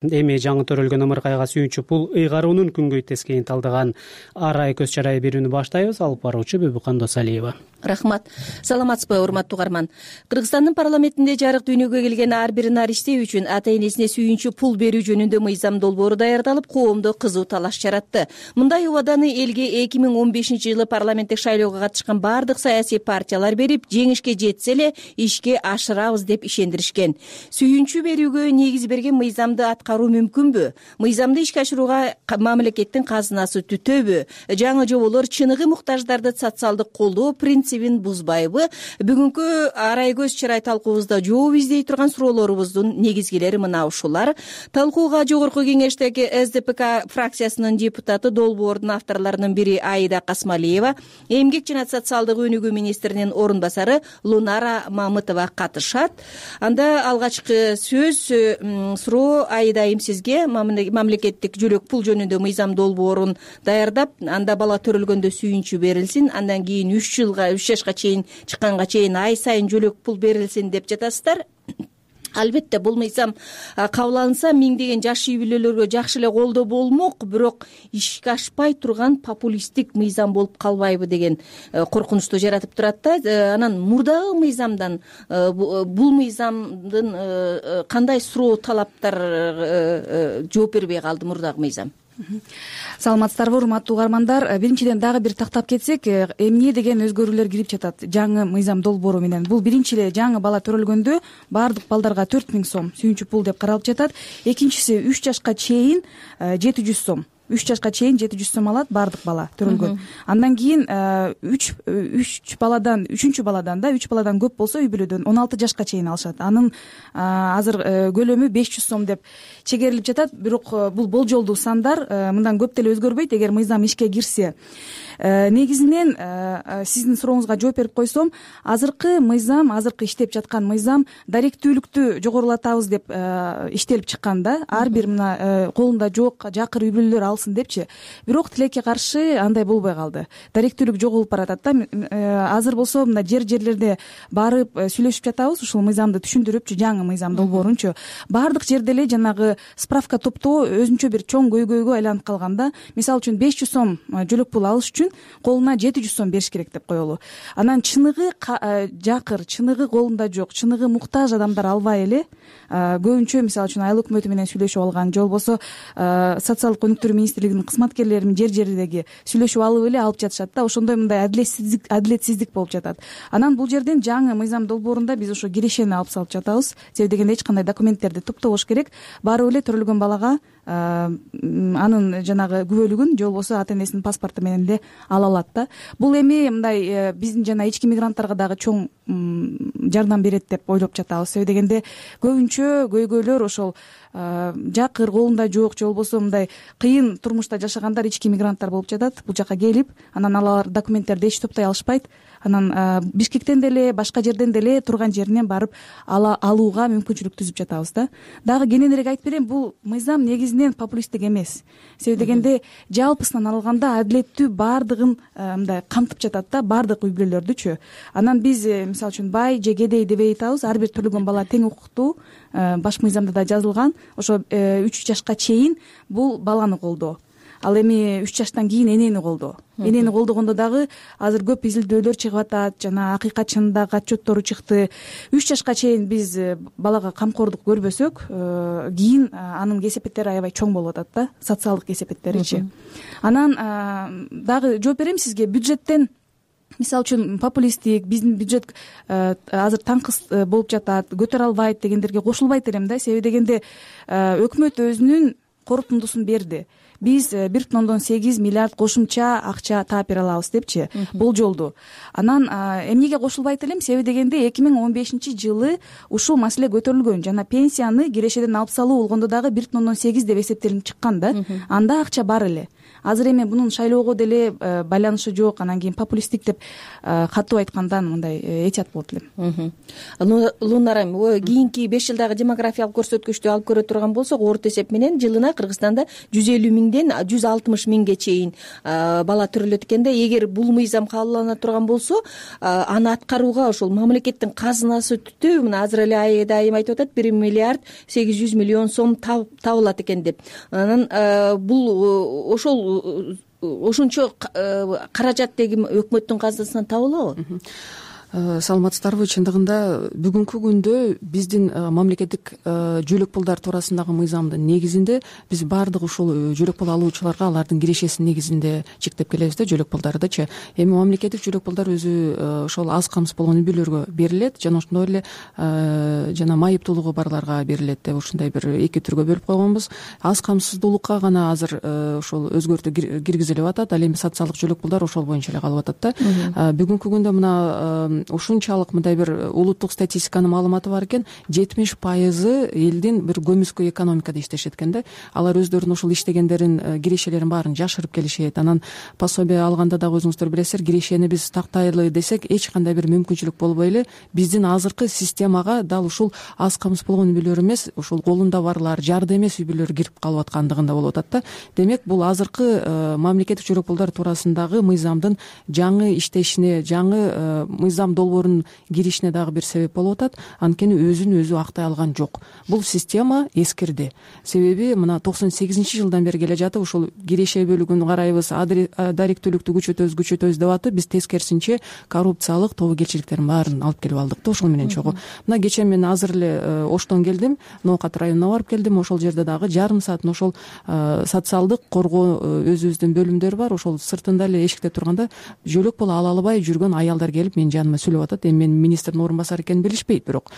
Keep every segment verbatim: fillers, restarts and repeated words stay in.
Эми жаңы төрөлгөн ымыркайга сүйүнчү пул ыйгаруунун күнгөй тескейин талдаган арай көз чарай берүүнү баштайбыз. Алып баруучу Бөбүкан Досалиева. Рахмат. Саламатсызбы, урматтуу угарман. Кыргызстандын парламентинде жарык дүйнөгө келген ар бир нариште үчүн ата энесине сүйүнчү пул берүү жөнүндө мыйзам долбоору даярдалып, коомдо кызуу талаш жаратты. Мындай убаданы элге эки миң он бешинчи жылы парламенттик шайлоого катышкан бардык саясий партиялар берип, жеңишке жетсе эле ишке ашырабыз деп ишендиришкен. Сүйүнчү берүүгө негиз берген мыйзамды аткаруу мүмкүнбү? Мыйзамды ишке ашырууга мамлекеттин казынасы түтөбү? Жаңы жоболор чыныгы муктаждарды социалдык колдоо принцибин бузбайбы? Бүгүнкү арай көз чарай талкуубузда жооп издей турган суроолорубуздун негизгилери мына ушулар. Талкууга жогорку кеңештеги эс дэ пэ ка фракциясынын депутаты, долбоордун авторлорунун бири Аида Касмалиева, эмгек жана социалдык өнүгүү министринин орун басары Лунара Мамытова катышат. Анда алгачкы сөз суроо Аида айым сизге. Мамлекеттик жөлөк пул жөнүндө мыйзам долбоорун даярдап, анда бала төрөлгөндө сүйүнчү берилсин, андан кийин үч жылга үч жашка чейин чыкканга чейин ай сайын жөлөк пул берилсин деп жатасыздар. Албетте бул мыйзам кабыл алынса миңдеген жаш үй бүлөлөргө жакшы эле колдоо болмок, бирок ишке ашпай турган популисттик мыйзам болуп калбайбы деген коркунучту жаратып турат да. Анан мурдагы мыйзамдан бул мыйзамдын кандай суроо талаптар жооп бербей калды мурдагы мыйзам? Саламатсыздарбы, урматтуу угармандар. Биринчиден дагы бир тактап кетсек, эмне деген өзгөрүүлөр кирип жатат жаңы мыйзам долбоору менен. Бул биринчи эле жаңы бала төрөлгөндө бардык балдарга төрт миң сом сүйүнчү пул деп каралып жатат. Экинчиси үч жашка чейин жети жүз сом. үч жашка чейин жети жүз сом алат бардык бала төрөлгөн. Андан кийин үч үч баладан үчүнчү баладан да үч баладан көп болсо үй бүлөдөн он алты жашка чейин алышат. Анын азыр көлөмү беш жүз сом деп чегерилип жатат. Бирок бул болжолдуу сандар, мындан көп деле өзгөрбөйт эгер мыйзам ишке кирсе. Негизинен сиздин сурооңузга жооп берип койсом, азыркы мыйзам, азыркы иштеп жаткан мыйзам даректүүлүктү жогорулатабыз деп иштелип чыккан да. Ар бир мына колунда жок жакыр үй бүлөлөр алсын депчи. Бирок тилекке каршы андай болбой калды. Даректүүлүк жоголуп баратат да. Азыр болсо мына жер жерлерде барып сүйлөшүп жатабыз, ушул мыйзамды түшүндүрүпчү, жаңы мыйзам долбоорунчу. Бардык жерде эле жанагы справка топтоо өзүнчө бир чоң көйгөйгө айланып калган да. Мисалы үчүн беш жүз сом жөлөк пул алыш үчүн колуна жети жүз сом бериш керек деп коелу. Анан чыныгы жакыр, чыныгы колунда жок, чыныгы муктаж адамдар албай эле көбүнчө мисалы үчүн айыл өкмөтү менен сүйлөшүп алган, же болбосо социалдык өнүктүрүү министрлигинин кызматкерлери жер жерлерге сүйлөшүп алып эле алып жатышат да. Ошондой мындай адилетсиздик адилетсиздик болуп жатат. Анан бул жерден жаңы мыйзам долбоорунда биз ошо кирешени алып салып жатабыз. Себеби дегенде эч кандай документтерди топтобош керек. Барып эле төрөлгөн балага анын жанагы күбөлүгүн же болбосо ата энесинин паспорту менен эле ала алат да. Бул эми мындай биздин жана ички мигранттарга дагы чоң жардам берет деп ойлоп жатабыз. Себеби дегенде көбүнчө көйгөйлөр ошол жакыр, колунда жок, же болбосо мындай кыйын турмушта жашагандар ички мигранттар болуп жатат. Бул жака келип, анан алар документтерди эч топтой алышпайт. Анан Бишкектен деле, башка жерден деле турган жеринен барып ала алууга мүмкүнчүлүк түзүп жатабыз да. Дагы кененирээк айтып берейин, бул мыйзам негизинен популисттик эмес. Себеби дегенде жалпысынан алганда адилеттүү бардыгын мындай камтып жатат да, бардык үй бүлөлөрдүчү. Анан биз мисалы үчүн бай же кедей дебей атабыз, ар бир төлөгөн бала тең укуктуу. Баш мыйзамда да жазылган. Ошо үч жашка чейин бул баланы колдоо. Ал эми үч жаштан кийин энени колдоо. Энени колдогондо дагы азыр көп изилдөөлөр чыгып атат, жана акыйкатчынын дагы отчеттору чыкты. үч жашка чейин биз балага камкордук көрбөсөк, кийин анын кесепеттери аябай чоң болуп атат да, социалдык кесепеттеричи. Анан дагы жооп берем сизге. Бюджеттен мисалы үчүн популисттик, биздин бюджет азыр таңкыс болуп жатат, көтөрө албайт дегендерге кошулбайт элем да. Себеби дегенде өкмөт өзүнүн корутундусун берди. Биз бир бүтүн ондон сегиз миллиард кошумча акча таап бере алабыз депчи, болжолду. Анан эмнеге кошулбайт элем? Себеби дегенде эки миң он бешинчи жылы ушул маселе көтөрүлгөн, жана пенсияны кирешеден алып салуу болгондо дагы бир бүтүн ондон сегиз деп эсептелип чыккан да. Анда акча бар эле. Азыр эми бунун шайлоого деле байланышы жок, анан кийин популисттик деп катуу айткандан мындай этият болот элем. Лунара, кийинки беш жылдагы демографиялык көрсөткүчтү алып көрө турган болсок, орто эсеп менен жылына Кыргызстанда жүз элүү миң миңден жүз алтымыш миңге чейин бала төрөлөт экен да. Эгер бул мыйзам кабылдана турган болсо, аны аткарууга ошол мамлекеттин казынасы түтүү, мына азыр эле Айда айым айтып атат, бир миллиард сегиз жүз миллион сом табылат экен деп. Анан бул ошол ошончо каражат деги өкмөттүн казынасынан табылабы? Саламатсыздарбы? Чындыгында бүгүнкү күндө биздин мамлекеттик жөлөк пулдар туурасындагы мыйзамдын негизинде биз баардык ушул жөлөк пул алуучуларга алардын кирешесинин негизинде чектеп келебиз да, жөлөк пулдардычы. Эми мамлекеттик жөлөк пулдар өзү ошол аз камсыз болгон үй бүлөлөргө берилет, жана ошондой эле жана майыптуулугу барларга берилет деп ушундай бир эки түргө бөлүп койгонбуз. Аз камсыздуулукка гана азыр ошол өзгөртүү киргизилип атат, ал эми социалдык жөлөк пулдар ошол боюнча эле калып атат да. Бүгүнкү күндө мына ушунчалык мындай бир улуттук статистиканын маалыматы бар экен, жетимиш пайызы элдин бир көмүскө экономикада иштешет экен да. Алар өздөрүнүн ушул иштегендерин, кирешелерин баарын жашырып келишет. Анан пособие алганда дагы өзүңүздөр билесиздер, кирешени биз тактайлы десек эч кандай бир мүмкүнчүлүк болбой эле биздин азыркы системага дал ушул аз камсыз болгон үй бүлөлөр эмес, ушул колунда барлар, жарды эмес үй бүлөлөр кирип калып аткандыгында болуп атат да. Демек бул азыркы мамлекеттик жөлөк пулдар туурасындагы мыйзамдын жаңы иштешине, жаңы мыйзам долбоорунун киришине дагы бир себеп болуп атат. Анткени өзүн өзү актай алган жок. Бул система эскирди. Себеби мына токсон сегизинчи жылдан бери келе жатып, ушул киреше бөлүгүн карайбыз, даректүүлүктү күчөтөбүз, күчөтөбүз деп атып, биз тескерисинче коррупциялык тобокелчиликтердин баарын алып келип алдык да ошол менен чогуу. Мына кечээ мен азыр эле Оштон келдим, Ноокат районуна барып келдим. Ошол жерде дагы жарым саатын ошол социалдык коргоо өзүбүздүн бөлүмдөр бар. Ошол сыртында эле эшикте турганда жөлөк пул ала албай жүргөн аялдар келип менин жаныма сүйлөп атат. Эми мен министрдин орун басары экенин билишпейт, бирок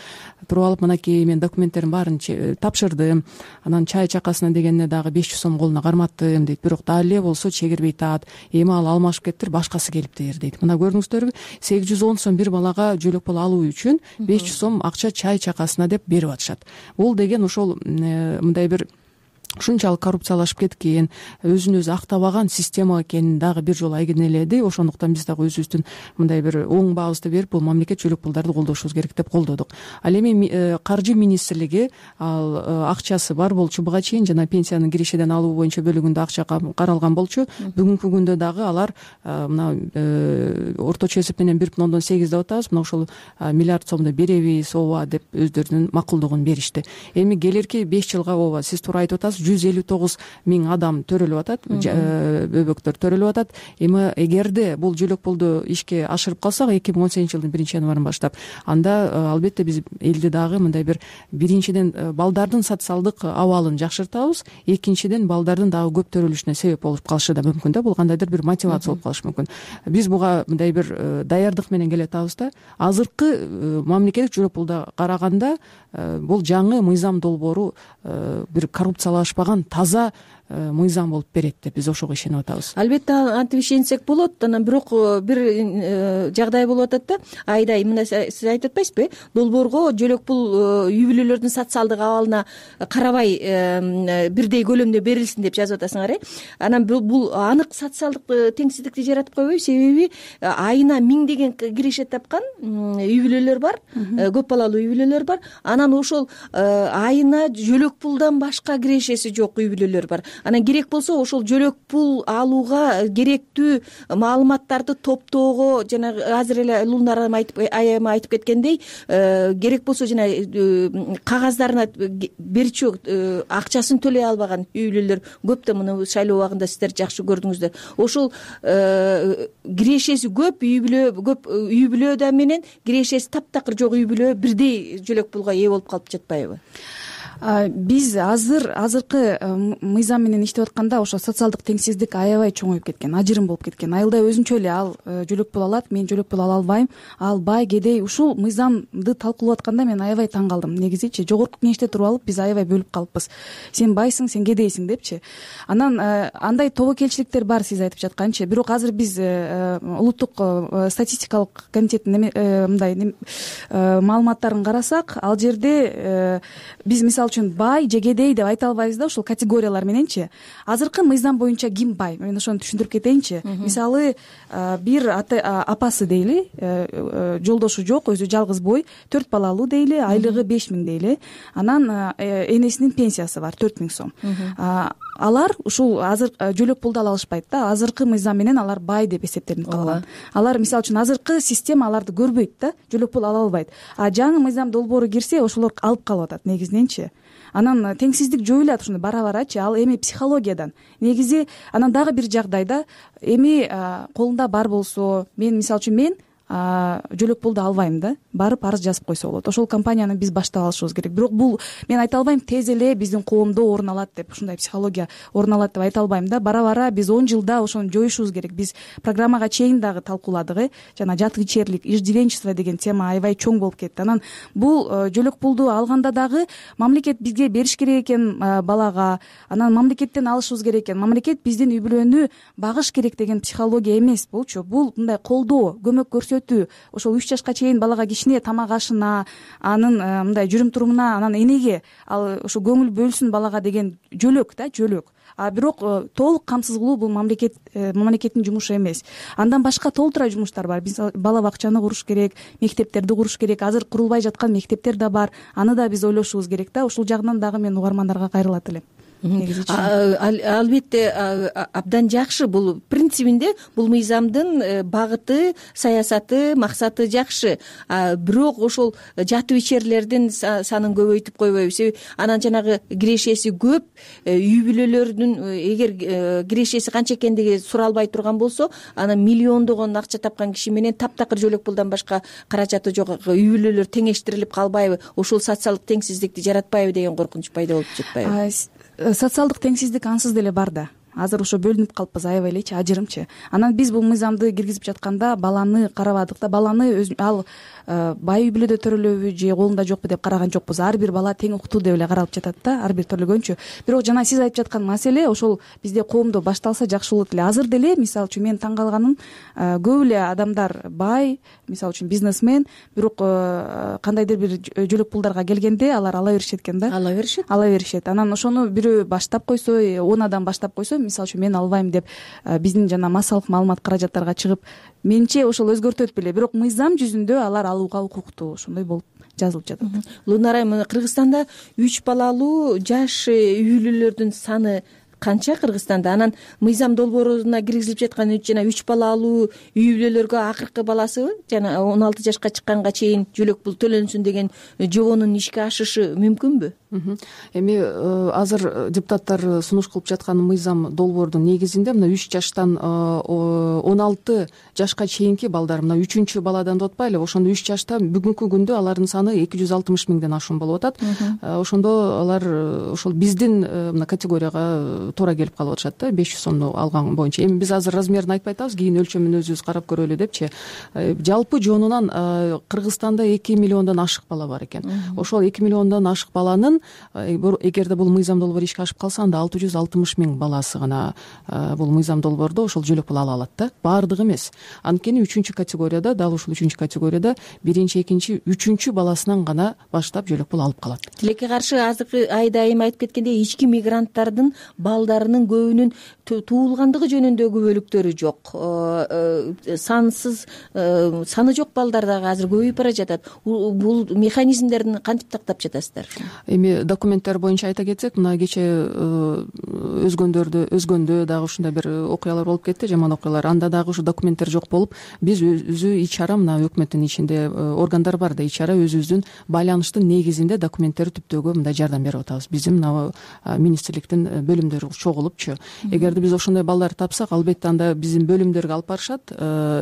туруп алып мынакей мен документтердин баарын тапшырдым. Анан чай чакасына дегенне дагы беш жүз сом колуна карматтым дейт. Бирок дагы эле болсо чегирбей таат. Эми ал алмашып кеттир, башкасы келиптир дейт. Мына көрдүңүздөрбү, сегиз жүз он сом бир балага жөлөк пул алуу үчүн беш жүз сом акча чай чакасына деп берип атышат. Бул деген ошол мындай бир ушунчалык коррупциялашып кеткен, өзүн өзү актабаган система экенин дагы бир жолу айгинеледи. Ошондуктан биз дагы өзүбүздүн мындай бир оң баабызды берип, бул мамлекет жөлөк пулдарды колдошубуз керек деп колдодук. Ал эми каржы министрлиги ал акчасы бар болчу буга чейин, жана пенсиянын кирешеден алуу боюнча бөлүгүндө акча каралган болчу. Бүгүнкү күндө дагы алар мына орточо эсеп менен бир бүтүн ондон сегиз деп атабыз. Мына ошол миллиард сомду беребиз, ооба деп өздөрүнүн макулдугун беришти. Эми келерки беш жылга ооба сиз туура айтып атасыз, жүз элүү тогуз миң адам төрөлүп атат, бөбөктөр төрөлүп атат. Эми эгерде бул жөлөк пулду ишке ашырып калсак, эки миң он сегизинчи жылдын биринчи январынан баштап, анда албетте биз элди дагы мындай бир биринчиден балдардын социалдык абалын жакшыртабыз, экинчиден балдардын дагы көп төрөлүшүнө себеп болуп калышы да мүмкүн да. Бул кандайдыр бир мотивация болуп калышы мүмкүн. Биз буга мындай бир даярдык менен келе атабыз да. Азыркы мамлекеттик жөлөк пулда караганда бул жаңы мыйзам долбоору бир коррупциялашпаган таза мыйзам болуп берет деп биз ошого ишенип атабыз. Албетте антип ишенсек болот. Анан бирок бир жагдай болуп атат да. Айдай, мына сиз айтып атпайсызбы? Долбоорго жөлөк пул үй бүлөлөрдүн социалдык абалына карабай бирдей көлөмдө берилсин деп жазып атасыңар, э? Анан бул анык социалдык теңсиздикти жаратып койбойбу? Себеби айына миңдеген киреше тапкан үй бүлөлөр бар, көп балалуу үй бүлөлөр бар. Анан ошол айына жөлөк пулдан башка кирешеси жок үй бүлөлөр бар. Анан керек болсо ошол жөлөк пул алууга керектүү маалыматтарды топтоого, жана азыр эле Лунар айым айтып кеткендей, керек болсо жана кагаздарына берчү акчасын төлөй албаган үй бүлөлөр көп да. Муну шайлоо убагында сиздер жакшы көрдүңүздөр. Ошол кирешеси көп үй бүлө көп үй бүлөдө менен кирешеси таптакыр жок үй бүлө бирдей жөлөк пулга ээ болуп калып жатпайбы? Биз азыр азыркы мыйзам менен иштеп атканда ошо социалдык теңсиздик аябай чоңоюп кеткен, ажырым болуп кеткен. Айылда өзүнчө эле ал жөлөк пул алат, мен жөлөк пул ала албайм, ал бай, кедей. Ушул мыйзамды талкуулап атканда мен аябай таң калдым. Негизичи жогорку кеңеште туруп алып биз аябай бөлүп калыппыз. Сен байсың, сен кедейсиң депчи. Анан андай тобокелчиликтер бар сиз айтып жатканчы. Бирок азыр биз улуттук статистикалык комитеттин мындай маалыматтарын карасак, ал жерде биз мисалы үчүн бай же кедей деп айта албайбыз да, ушул категориялар мененчи. Азыркы мыйзам боюнча ким бай? Мен ошону түшүндүрүп кетейинчи. Мисалы, бир апасы дейли, жолдошу жок, өзү жалгыз бой, төрт балалуу дейли, айлыгы беш миң дейли. Анан энесинин пенсиясы бар төрт миң сом. Алар ушул азыр жөлөк пулду ала алышпайт да. Азыркы мыйзам менен алар бай деп эсептелинип калган. Алар мисалы үчүн азыркы система аларды көрбөйт да, жөлөк пул ала албайт. А жаңы мыйзам долбоору кирсе, ошолор алып калып атат негизиненчи. Анан теңсиздик жоюлат ушундай бара-барачы. Ал эми психологиядан. Негизи анан дагы бир жагдайда эми колунда бар болсо, мен мисалы үчүн мен жөлөк пулду албайм да, барып арыз жазып койсо болот. Ошол компанияны биз баштап алышыбыз керек. Бирок бул мен айта албайм тез эле биздин коомдо орун алат деп, ушундай психология орун алат деп айта албайм да. Бара-бара биз он жылда ошону жоюшубуз керек. Биз программага чейин дагы талкууладык, э, жана жатыйчерлик, иждивенчество деген тема аябай чоң болуп кетти. Анан бул жөлөк пулду алганда дагы мамлекет бизге бериш керек экен балага, анан мамлекеттен алышыбыз керек экен. Мамлекет биздин үй бүлөнү багыш керек деген психология эмес булчу. Бул мындай колдоо, көмөк көрсөтүү. Ошол үч жашка чейин балага кичине тамак ашына, анын мындай жүрүм турумуна, анан энеге ал ошо көңүл бөлсүн балага деген жөлөк да, жөлөк. А бирок толук камсыз кылуу бул мамлекет мамлекеттин жумушу эмес. Андан башка толтура жумуштар бар. Биз бала бакчаны куруш керек, мектептерди куруш керек. Азыр курулбай жаткан мектептер да бар. Аны да биз ойлошубуз керек да. Ушул жагынан дагы мен угармандарга кайрылат элем. Албетте абдан жакшы. Бул принцибинде бул мыйзамдын багыты, саясаты, максаты жакшы. Бирок ошол жатып ичерлердин санын көбөйтүп койбойбуз. Себеби анан жанагы кирешеси көп үй бүлөлөрдүн, эгер кирешеси канча экендиги суралбай турган болсо, анан миллиондогон акча тапкан киши менен таптакыр жөлөк пулдан башка каражаты жок үй бүлөлөр теңештирилип калбайбы? Ошол социалдык теңсиздикти жаратпайбы деген коркунуч пайда болуп жатпайбы? Социалдык теңсиздик ансыз деле бар да. Азыр ошо бөлүнүп калыппыз аябай элечи, ажырымчы. Анан биз бул мыйзамды киргизип жатканда баланы карабадык да. Баланы ал бай үй бүлөдө төрөлөбү же колунда жокпу деп караган жокпуз. Ар бир бала тең укуктуу деп эле каралып жатат да, ар бир төрөлгөнчү. Бирок жана сиз айтып жаткан маселе ошол бизде коомдо башталса жакшы болот эле. Азыр деле мисалы үчүн мен таң калганым, көп эле адамдар бай, мисалы үчүн бизнесмен, бирок кандайдыр бир жөлөк пулдарга келгенде алар ала беришет экен да. Ала беришет. Ала беришет. Анан ошону бирөө баштап койсо, он адам баштап койсо, мисалы үчүн мен албайм деп биздин жана массалык маалымат каражаттарга чыгып, менимче ошол өзгөртөт беле. Бирок мыйзам жүзүндө алар алууга укуктуу, ошондой болуп жазылып жатат. Лунар айым, Кыргызстанда үч балалуу жаш үй бүлөлөрдүн саны канча Кыргызстанда? Анан мыйзам долбооруна киргизилип жаткан жана үч балалуу үй бүлөлөргө акыркы баласыбы жана он алты жашка чыкканга чейин жөлөк пул төлөнсүн деген жобонун ишке ашышы мүмкүнбү? Эми азыр депутаттар сунуш кылып жаткан мыйзам долбоордун негизинде мына үч жаштан он алты жашка чейинки балдар, мына үчүнчү баладан деп атпайлы, ошондо үч жашта бүгүнкү күндө алардын саны эки жүз алтымыш миңден ашуун болуп атат. Ошондо алар ошол биздин мына категорияга туура келип калып атышат да, беш жүз сомду алган боюнча. Эми биз азыр размерин айтпай атабыз, кийин өлчөмүн өзүбүз карап көрөлү депчи. Жалпы жонунан Кыргызстанда эки миллиондон ашык бала бар экен. Ошол эки миллиондон ашык баланын эгерде бул мыйзам долбоор ишке ашып калса, анда алты жүз алтымыш миң баласы гана бул мыйзам долбоордо ошол жөлөк пул ала алат да. Баардыгы эмес. Анткени үчүнчү категорияда, дал ушул үчүнчү категорияда биринчи, экинчи, үчүнчү баласынан гана баштап жөлөк пул алып калат. Тилекке каршы азыркы айда айым айтып кеткендей, ички мигранттардын балдарынын көбүнүн туулгандыгы жөнүндө күбөлүктөрү жок. Сансыз саны жок балдар дагы азыр көбөйүп бара жатат. Бул механизмдерин кантип тактап жатасыздар? Эми документтер боюнча айта кетсек, мына кече өзгөндөрдө өзгөндө дагы ушундай бир окуялар болуп кетти, жаман окуялар. Анда дагы ушу документтер жок болуп, биз өзү ич чара, мына өкмөттүн ичинде органдар бар да, ич чара өзүбүздүн байланыштын негизинде документтерди түптөөгө мындай жардам берип атабыз. Биздин мына министрликтин бөлүмдөрү чогулупчу. Эгерде биз ошондой балдар тапсак, албетте анда биздин бөлүмдөргө алып барышат,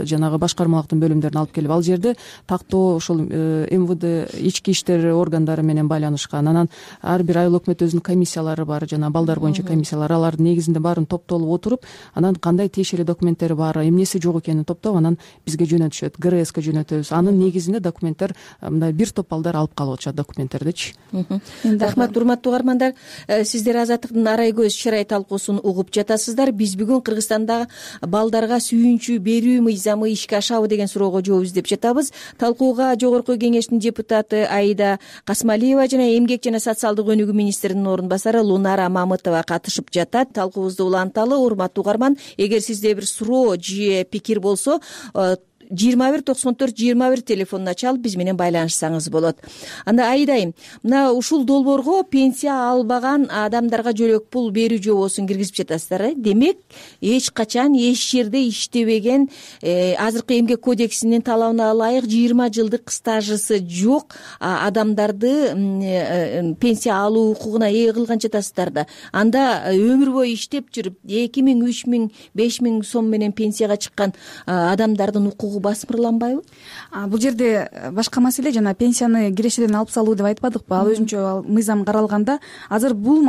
жанагы башкармалыктын бөлүмдөрүнө алып келип, ал жерде тактоо ошол эм вэ дэ ички иштер органдары менен байланышкан. Анан ар бир айыл өкмөт өзүнүн комиссиялары бар, жана балдар боюнча комиссия пенсиялар, алардын негизинде баарын топтолуп отуруп, анан кандай тиешелүү документтери бар, эмнеси жок экенин топтоп анан бизге жөнөтүшөт, ГРСке жөнөтөбүз. Анын негизинде документтер мындай бир топ балдар алып калып атышат документтердичи. Рахмат, урматтуу угармандар. Сиздер Азаттыктын арай көз чырай талкуусун угуп жатасыздар. Биз бүгүн Кыргызстанда балдарга сүйүнчү берүү мыйзамы ишке ашабы деген суроого жооп издеп жатабыз. Талкууга Жогорку Кеңештин депутаты Аида Касмалиева жана Эмгек жана социалдык өнүгүү министринин орун басары Лунара Мамытова катышып жатат. Талкуубузду уланталы, урматтуу угарман. Эгер сизде бир суроо же пикир болсо, жыйырма бир токсон төрт жыйырма бир телефонуна чалып биз менен байланышсаңыз болот. Анда Айдайым, мына ушул долбоорго пенсия албаган адамдарга жөлөк пул берүү жобосун киргизип жатасыздар. Демек, эч качан эч жерде иштебеген, э, азыркы эмгек кодексинин талабына ылайык жыйырма жылдык стажысы жок адамдарды э, пенсия алуу укугуна ээ кылган жатасыздар да. Анда өмүр бою иштеп жүрүп эки миң, үч миң, беш миң сом менен пенсияга чыккан адамдардын укугу басмырланбайбы? Бул жерде башка маселе, жана пенсияны кирешеден алып салуу деп айтпадыкпы? Ал өзүнчө мыйзам каралганда азыр бул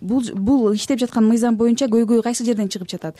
бул бул иштеп жаткан мыйзам боюнча көйгөй кайсы жерден чыгып жатат?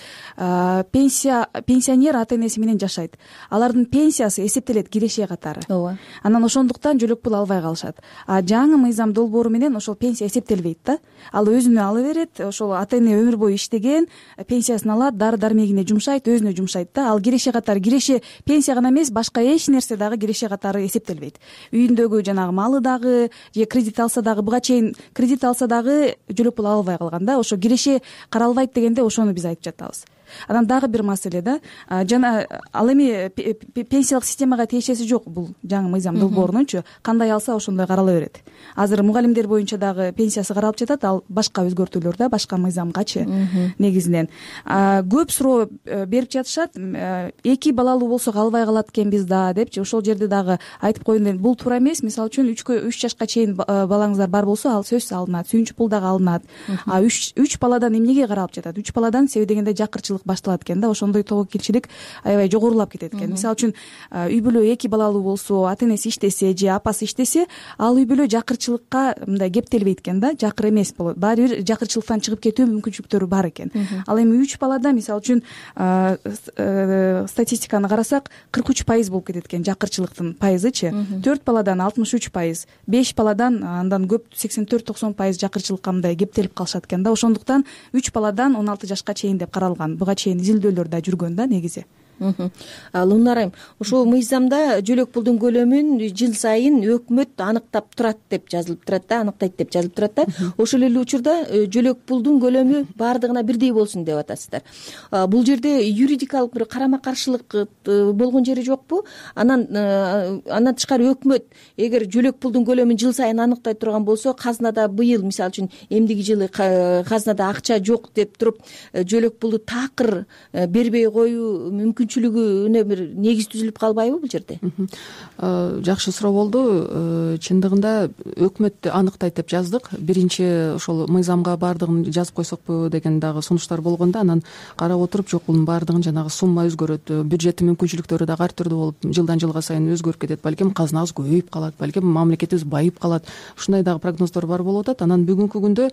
Пенсия пенсионер ата энеси менен жашайт. Алардын пенсиясы эсептелет киреше катары. Ооба. Анан ошондуктан жөлөк пул албай калышат. А жаңы мыйзам долбоору менен ошол пенсия эсептелбейт да. Ал өзүнө ала берет. Ошол ата эне өмүр бою иштеген, пенсиясын алат, дары дармегине жумшайт, өзүнө жумшайт да. Ал киреше катары киреше пенсия гана эмес, башка эч нерсе дагы киреше катары эсептелбейт. Үйүндөгү жанагы малы дагы, же кредит алса дагы, буга чейин кредит алса дагы жөлөк пул албай калган да. Ошо киреше каралбайт дегенде ошону биз айтып жатабыз. Анан дагы бир маселе да, жана ал эми пенсиялык системага тиешеси жок бул жаңы мыйзам долбоорунунчу. Кандай алса ошондой карала берет. Азыр мугалимдер боюнча дагы пенсиясы каралып жатат, ал башка өзгөртүүлөр да, башка мыйзамгачы негизинен. Көп суроо берип жатышат, эки балалуу болсок албай калат экенбиз да депчи. Ошол жерде дагы айтып коеюн, бул туура эмес. Мисалы үчүн үч жашка чейин балаңыздар бар болсо, ал сөзсүз алынат, сүйүнчү пул дагы алынат. А үч баладан эмнеге каралып жатат? Үч баладан себеби дегенде жакырчылык башталат экен да, ошондой тобокелчилик аябай жогорулап кетет экен. Мисалы үчүн үй бүлө эки балалуу болсо, ата энеси иштесе же апасы иштесе, ал үй бүлө жакырчылыкка мындай кептелбейт экен да, жакыр эмес болот. Баары бир жакырчылыктан чыгып кетүү мүмкүнчүлүктөрү бар экен. Ал эми үч балада мисалы үчүн статистиканы карасак, кырк үч пайыз болуп кетет экен жакырчылыктын пайызычы. төрт баладан алтымыш үч пайыз, беш баладан андан көп сексен төрт токсон пайыз жакырчылыкка мындай кептелип калышат экен да. Ошондуктан үч баладан он алты жашка чейин деп каралган. Буга чейин изилдөөлөр да жүргөн да негизи. Лунарайым, ушул мыйзамда жөлөк пулдун көлөмүн жыл сайын өкмөт аныктап турат деп жазылып турат да, аныктайт деп жазылып турат да. Ошол эле учурда жөлөк пулдун көлөмү баардыгына бирдей болсун деп атасыздар. Бул жерде юридикалык бир карама каршылык болгон жери жокпу? Анан андан тышкары өкмөт эгер жөлөк пулдун көлөмүн жыл сайын аныктай турган болсо, казынада быйыл мисалы үчүн эмдиги жылы казынада акча жок деп туруп жөлөк пулду такыр бербей коюу мүмкүн мүмкүнчүлүгүнө бир негиз түзүлүп калбайбы бул жерде? Жакшы суроо болду. Чындыгында өкмөт аныктайт деп жаздык. Биринчи ошол мыйзамга баардыгын жазып койсокпу деген дагы сунуштар болгондо, анан карап отуруп, жок, бунун баардыгын жанагы сумма өзгөрөт, бюджеттин мүмкүнчүлүктөрү дагы ар түрдүү болуп, жылдан жылга сайын өзгөрүп кетет. Балким казынабыз көбөйүп калат, балким мамлекетибиз байып калат. Ушундай дагы прогноздор бар болуп атат. Анан бүгүнкү күндө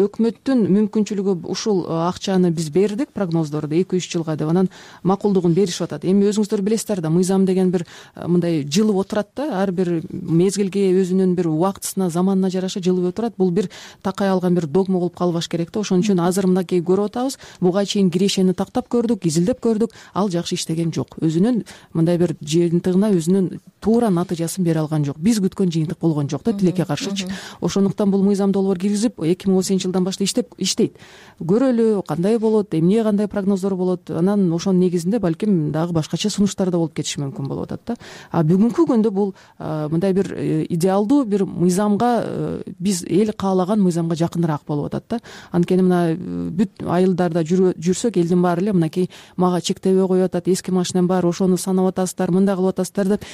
өкмөттүн мүмкүнчүлүгү ушул акчаны биз бердик, прогноздорду эки үч жылга деп, анан макулдугун беришип атат. Эми өзүңүздөр билесиздер да, мыйзам деген бир мындай жылып отурат да, ар бир мезгилге өзүнүн бир убактысына, заманына жараша жылып отурат. Бул бир такай алган бир догма болуп калбаш керек да. Ошон үчүн азыр мынакей көрүп атабыз. Буга чейин кирешени тактап көрдүк, изилдеп көрдүк, ал жакшы иштеген жок. Өзүнүн мындай бир жыйынтыгына өзүнүн туура натыйжасын бере алган жок. Биз күткөн жыйынтык болгон жок да, тилекке каршычы. Ошондуктан бул мыйзам долбоор киргизип эки миң он сегизинчи жылдан баштап иштеп иштейт. Көрөлү, кандай болот, эмне кандай прогноздор болот. Анан ошонун негизинде балким дагы башкача сунуштар да болуп кетиши мүмкүн болуп атат да. А бүгүнкү күндө бул мындай бир идеалдуу бир мыйзамга, биз эл каалаган мыйзамга жакыныраак болуп атат да. Анткени мына бүт айылдарда жүрсөк, элдин баары эле мынакей мага чектебей коюп атат, эски машинам бар, ошону санап атасыздар, мындай кылып атасыздар деп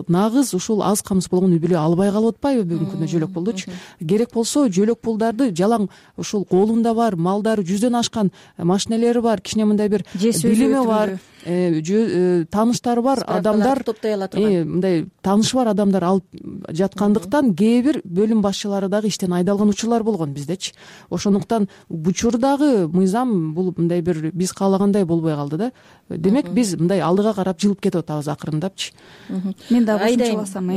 нагыз ушул аз камсыз болгон үй бүлө албай калып атпайбы бүгүнкү күндө жөлөк пулдучу. Керек болсо жөлөк пулдарды жалаң ушул колунда бар, малдары жүздөн ашкан машинелери бар, кичине мындай бир билими бар, тааныштары бар адамдар, топтой ала турган мындай таанышы бар адамдар алып жаткандыктан кээ бир бөлүм башчылары дагы иштен айдалган учурлар болгон биздечи. Ошондуктан учурдагы мыйзам бул мындай бир биз каалагандай болбой калды да. Демек биз мындай алдыга карап жылып кетип атабыз акырындапчы. Мен дагы кошумчаласам,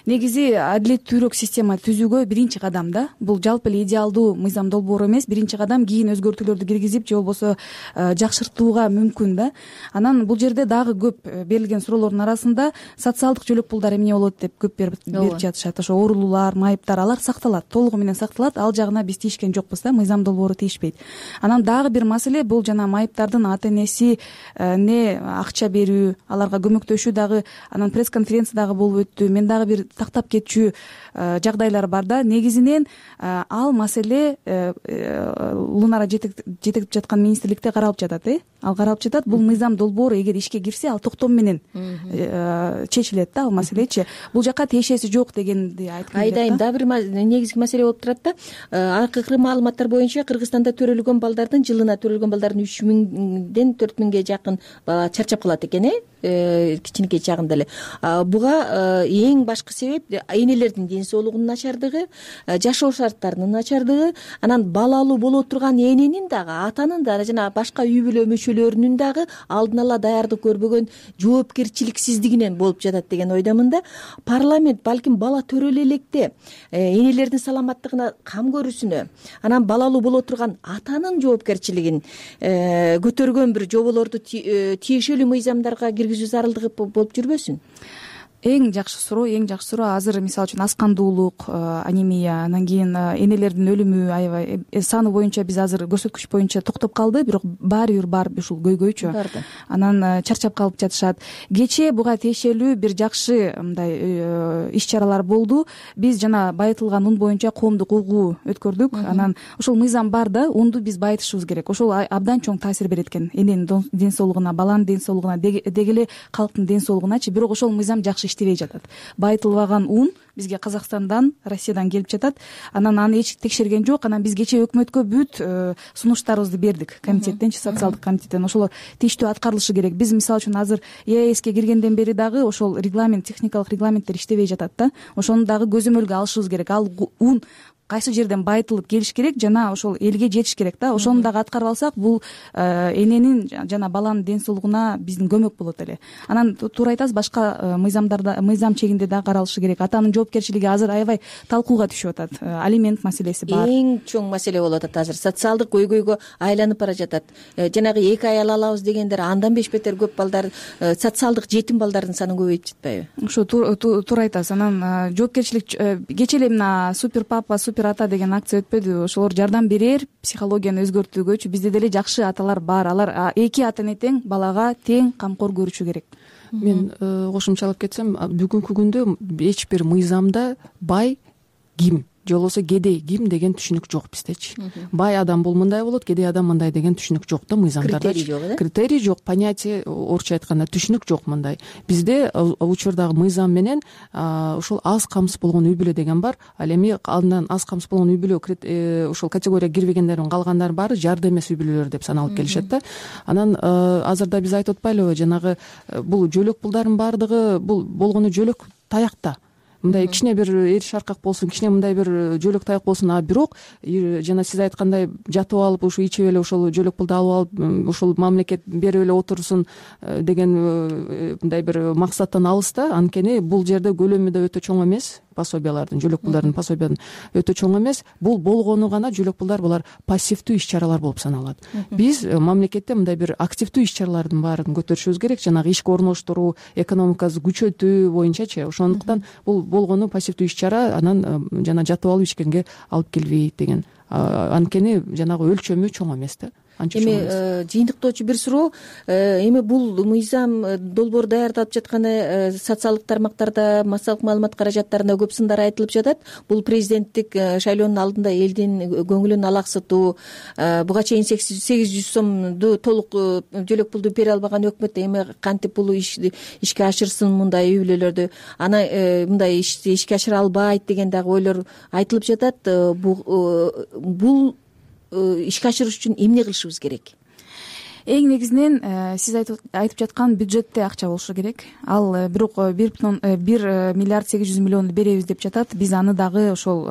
негизи адилеттүүрөөк система түзүүгө биринчи кадам да. Бул жалпы эле идеалдуу мыйзам долбоору эмес, биринчи кадам кийин өзгөртүүлөрдү киргизип же болбосо жакшыртууга мүмкүн да. Анан бул жерде дагы көп берилген суроолордун арасында социалдык жөлөк пулдар эмне болот деп көп берип жатышат. Ошо оорулуулар, майыптар алар сакталат, толугу менен сакталат. Ал жагына биз тийишкен жокпуз да, мыйзам долбоору тийишпейт. Анан дагы бир маселе бул жана майыптардын ата энеси не акча берүү, аларга көмөктөшүү дагы анан пресс-конференция дагы болуп өттү. Мен дагы бир тактап кетчү жагдайлар бар да. Негизинен ал маселе Лунара жетектеп жаткан министрликте каралып жатат, э? Ал каралып жатат. Бул мыйзам долбоору эгер ишке кирсе, ал токтом менен чечилет да, ал маселечи. Бул жака тиешеси жок дегенди айтып келет. Айдайын дагы бир негизги маселе болуп турат да. Акыркы маалыматтар боюнча Кыргызстанда төрөлгөн балдардын жылына төрөлгөн балдардын үч миңден төрт миңге жакын бала чарчап калат экен, э кичинекей чагында эле. Буга эң башкы себеп энелердин ден соолугунун начардыгы, жашоо шарттарынын начардыгы, анан балалуу боло турган эненин дагы, атанын да жана башка үй бүлө мүчөлөрүнүн дагы алдын ала даярдык көрбөгөн жоопкерчиликсиздигинен болуп жатат деген ойдомун да. Парламент балким бала төрөлө электе энелердин саламаттыгына кам көрүүсүнө, анан балалуу боло турган атанын жоопкерчилигин көтөргөн бир жоболорду тиешелүү мыйзамдарга киргизүү зарылдыгы болуп жүрбөсүн? Эң жакшы суроо, эң жакшы суроо азыр мисалы үчүн аскандуулук, анемия, анан кийин энелердин өлүмү аябай саны боюнча биз азыр көрсөткүч боюнча токтоп калды, бирок баары бир бар ушул көйгөйчү. Анан чарчап калып жатышат. Кечээ буга тиешелүү бир жакшы мындай иш-чаралар болду. Биз жана байытылган ун боюнча коомдук угуу өткөрдүк. Анан ушул мыйзам бар да, унду биз байытышыбыз керек. Ошол абдан чоң таасир берет экен эненин ден соолугуна, баланын ден соолугуна, деги эле калктын ден соолугуначы. Бирок ошол мыйзам жакшы иштебей жатат. Байытылбаган ун бизге Казакстандан, Россиядан келип жатат. Анан аны эч текшерген жок. Анан биз кечээ өкмөткө бүт сунуштарыбызды бердик. Комитеттенчи, социалдык комитеттен ошол тийиштүү аткарылышы керек. Биз мисалы үчүн азыр ЕАЭСке киргенден бери дагы ошол регламент, техникалык регламенттер иштебей жатат да. Ошону дагы көзөмөлгө алышыбыз керек. Ал ун кайсы жерден байытылып келиш керек жана ошол элге жетиш керек да. Ошону дагы аткарып алсак, бул эненин жана баланын ден соолугуна биздин көмөк болот эле. Анан туура айтасыз, башка мыйзамдарда, мыйзам чегинде дагы каралышы керек. Атанын жоопкерчилиги азыр аябай талкууга түшүп атат. Алимент маселеси бар. Эң чоң маселе болуп атат азыр. Социалдык көйгөйгө айланып бара жатат. Жанагы эки аял алабыз дегендер андан беш бетер көп балдар, социалдык жетим балдардын санын көбөйтүп жатпайбы? Ушу туура айтасыз. Анан жоопкерчилик кечээ эле мына супер папа, супер ата деген акция өтпөдү? Ошолор жардам берер психологияны өзгөртүүгөчү. Бизде деле жакшы аталар бар. Алар эки ата эне тең балага тең камкор көрүшү керек. Мен кошумчалап кетсем, бүгүнкү күндө эч бир мыйзамда бай ким же болбосо кедей ким деген түшүнүк жок биздечи. Бай адам бул мындай болот, кедей адам мындай деген түшүнүк жок да мыйзамдарда. Критерий жок, э? Критерий жок, понятие, орусча айтканда түшүнүк жок мындай. Бизде учурдагы мыйзам менен ушул аз камсыз болгон үй бүлө деген бар. Ал эми андан аз камсыз болгон үй бүлө ушул категорияга кирбегендердин калгандары баары жарды эмес үй бүлөлөр деп саналып келишет да. Анан азырда биз айтып атпайлыбы, жанагы бул жөлөк пулдардын баардыгы бул болгону жөлөк таякта. Мындай кичине бир эр шаркак болсун, кичине мындай бир жөлөк таяк болсун, а бирок жана сиз айткандай жатып алып ушу ичип эле ошол жөлөк пулду алып алып ушул мамлекет берип эле отурсун деген мындай бир максаттан алыс да. Анткени бул жерде көлөмү да өтө чоң эмес, пособиялардын, жөлөк пулдардын пособиянын өтө чоң эмес. Бул болгону гана жөлөк пулдар, булар пассивдүү иш-чаралар болуп саналат. Биз мамлекетте мындай бир активдүү иш-чаралардын баарын көтөрүшүбүз керек, жанагы ишке орноштуруу, экономикабызды күчөтүү боюнчачы. Ошондуктан бул болгону пассивдүү иш-чара, анан жана жатып алып ичкенге алып келбейт деген. Анткени жанагы өлчөмү чоң эмес да. анча эми жыйынтыктоочу бир суроо, эми бул мыйзам долбоор даярдалып жатканы социалдык тармактарда, массалык маалымат каражаттарында көп сындар айтылып жатат. Бул президенттик шайлоонун алдында элдин көңүлүн алаксытуу, буга чейин сегиз жүз сомду толук жөлөк пулду бере албаган өкмөт эми кантип бул ишти ишке ашырсын, мындай үй бүлөлөрдү ана мындай ишти ишке ашыра албайт деген дагы ойлор айтылып жатат. Бул ишке ашырыш үчүн эмне кылышыбыз керек? Эң негизинен сиз айтып жаткан бюджетте акча болушу керек. Ал бирок бир миллиард сегиз жүз миллионду беребиз деп жатат. Биз аны дагы ошол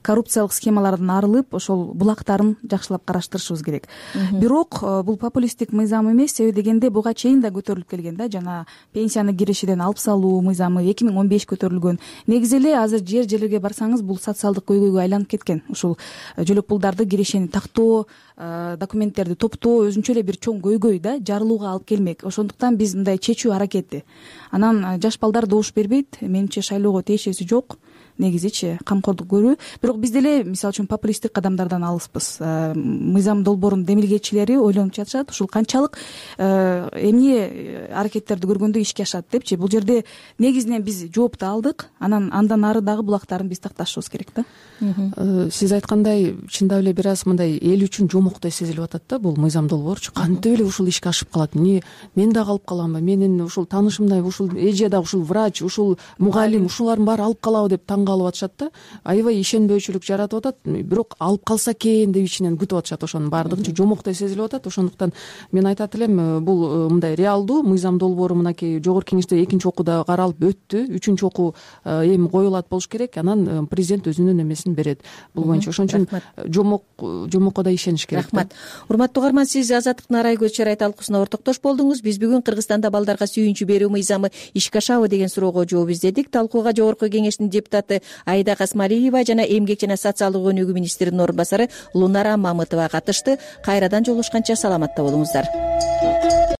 коррупциялык схемалардан арылып, ошол булактарын жакшылап караштырышыбыз керек. Бирок бул популисттик мыйзам эмес, себеби дегенде буга чейин да көтөрүлүп келген да, жана пенсияны кирешеден алып салуу мыйзамы эки миң он беш көтөрүлгөн. Негизи эле азыр жер жерлерге барсаңыз бул социалдык көйгөйгө айланып кеткен. Ушул жөлөк пулдарды кирешени тактоо, документтерди топтоо өзүнчө эле бир чоң көйгөй да, жарылууга алып келмек. Ошондуктан биз мындай чечүү аракети. Анан жаш балдар добуш бербейт. Менимче шайлоого тиешеси жок. Негизичи камкордук көрүү. Бирок биз деле мисалы үчүн популисттик кадамдардан алыспыз. Мыйзам долбоорунун демилгечилери ойлонуп жатышат, ушул канчалык эмне аракеттерди көргөндө ишке ашат депчи. Бул жерде негизинен биз жоопту алдык, анан андан ары дагы булактарын биз такташыбыз керек да. Сиз айткандай, чындап эле бир аз мындай эл үчүн жомоктой сезилип атат да бул мыйзам долбоорчу. Кантип эле ушул ишке ашып калат? Эмне мен дагы алып каламбы? Менин ушул таанышымдай ушул эже дагы ушул врач, ушул мугалим, ушулардын баары алып калабы деп таң калып атышат да. Аябай ишенбөөчүлүк жаратып атат. Бирок алып калса экен деп ичинен күтүп атышат. Ошонун баардыгынчы жомоктой сезилип атат. Ошондуктан мен айтат элем, бул мындай реалдуу мыйзам долбоору мынакей жогорку кеңеште экинчи окууда каралып өттү. Үчүнчү окуу эми коюлат болуш керек. Анан президент өзүнүн эмесин берет. Бул боюнча ошон үчүн жомок жомокко да ишениш керек. Рахмат. Урматтуу угарман, сиз Азаттыктын Арай көз чарай талкуусуна ортоктош болдуңуз. Биз бүгүн Кыргызстанда балдарга сүйүнчү берүү мыйзамы ишке ашабы деген суроого жооп издедик. Талкууга жогорку кеңештин депутаты Айда Касмалиева жана эмгек жана социалдык өнүгүү министринин орун басары Лунара Мамытова катышты. Кайрадан жолугушканча саламатта болуңуздар.